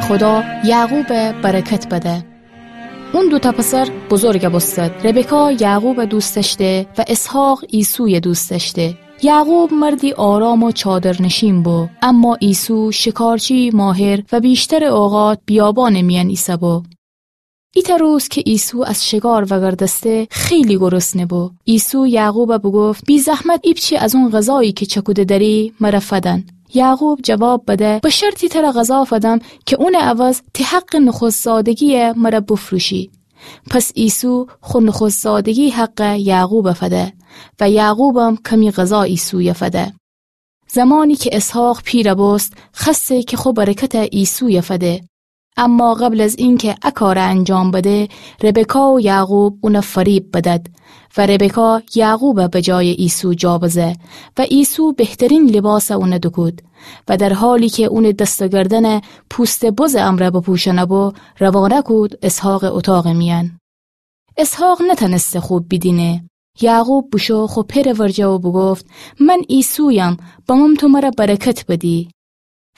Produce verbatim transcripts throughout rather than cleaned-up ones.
خودا یعقوب برکت بده. اون دوتأ پسر بزرگ بوستد. ربکا یعقوب دوست دأشته و اسحاق عیسوی دوست دأشته. یعقوب مردی آرام و چادرنشین بو، اما عیسو شکارچی ماهر و ویشتر اوقات بیابان میأن ایسه‌بو. ایتأ روز که عیسو از شکار وگردسته، خیلی گرسنه بو. عیسو یعقوب بوگفت: بی‌زحمت ایپچه از اون غذایی که چکوده دأری مر فدن. یعقوب جواب بده: به شرطی تر غذا فدم که اون عوض تی حق نخست‌زادگی مر بفروشی. پس عیسو خو نخست‌زادگی حق یعقوب فده و یعقوبم کمی غذا عیسوی فده. زمانی که اسحاق پیر بوست، خوأسته که خو برکت عیسوی فده. اما قبل از اینکه ا کار انجام بده، ربکا و یعقوب اون فریب بدد و ربکا یعقوب به جای عیسو جا بزه و عیسو بهترین لباس اون دوکود و در حالی که اون دست و گردن پوست بز امرأ بپوشنه بو، روانه کود اسحاق اتاق میأن. اسحاق نتأنسته خوب بیدینه. یعقوب بوشو خو پئر ورجه و بوگفت: من عیسویم، بمم تو مر برکت بدی.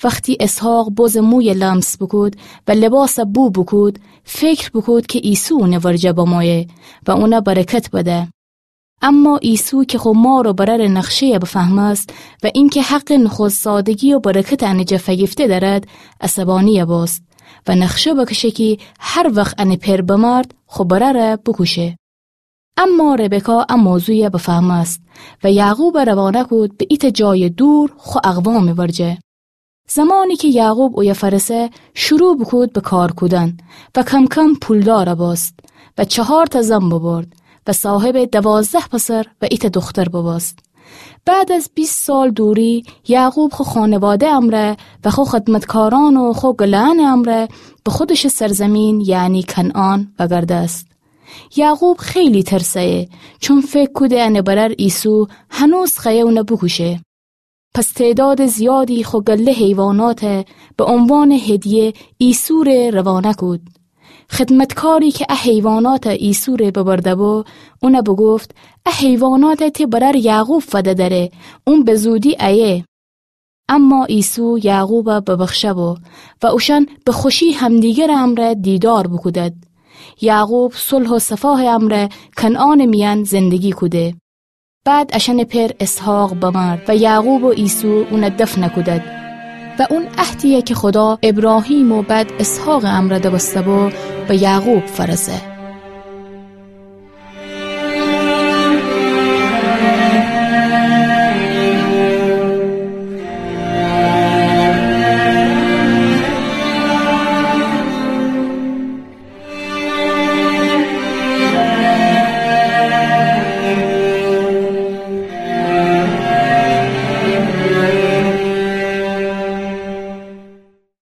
وختی اسحاق بز موی لمس بوکود و لباس بو بوکود، فکر بوکود که عیسو اون ورجه بمویه و اون برکت بده. اما عیسو که خو مار و برر نخشه بفهمست و اینکه حق نخست‌زادگی و برکت ان جا فگیفته دأرد، عصبانی بوست و نخشه بکشه کی هر وخت ان پئر بمرد، خو برر بوکوشه. اما ربکا ا موضوع بفهمست و یعقوب روانه کود به ایتأ جای دور خو اقوام ورجه. زمانی که یعقوب اویه فرسه، شروع بوکود به کار کودن و کم‌کم پولدار بوست و چهارتأ زن ببرد و صاحب دوازده پسر و ایتأ دختر ببوست. بعد از بیست سال دوری، یعقوب خو خانواده امرأ و خو خدمتکارأن و خو گله‌أن امرأ به خودش سرزمین، یعنی کنعان، وگردست. یعقوب خیلی ترسه‌یه، چون فکر کوده ان برر عیسو هنوز خوأیه اون بوکوشه. پس تعداد زیادی خو گله حیوانات به عنوان هدیه عیسو ره روانه کود. خدمتکاری که ا حیوانات عیسو ره ببرده بو، اون بوگفت: ا حیوانات تی برر یعقوب فده دره، اون به زودی ایه. اما عیسو یعقوب ببخشه بو و اوشأن به خوشی همدیگر امرأ دیدار بوکودد. یعقوب صلح و صفا امرأ کنعان میأن زندگی کوده. بعد اشأن پئر اسحاق بمرد و یعقوب و عیسو اون دفن کودد و اون عهدی که خودا ابراهیم و بعد اسحاق امرأ دوسته بو، به یعقوب فرسه.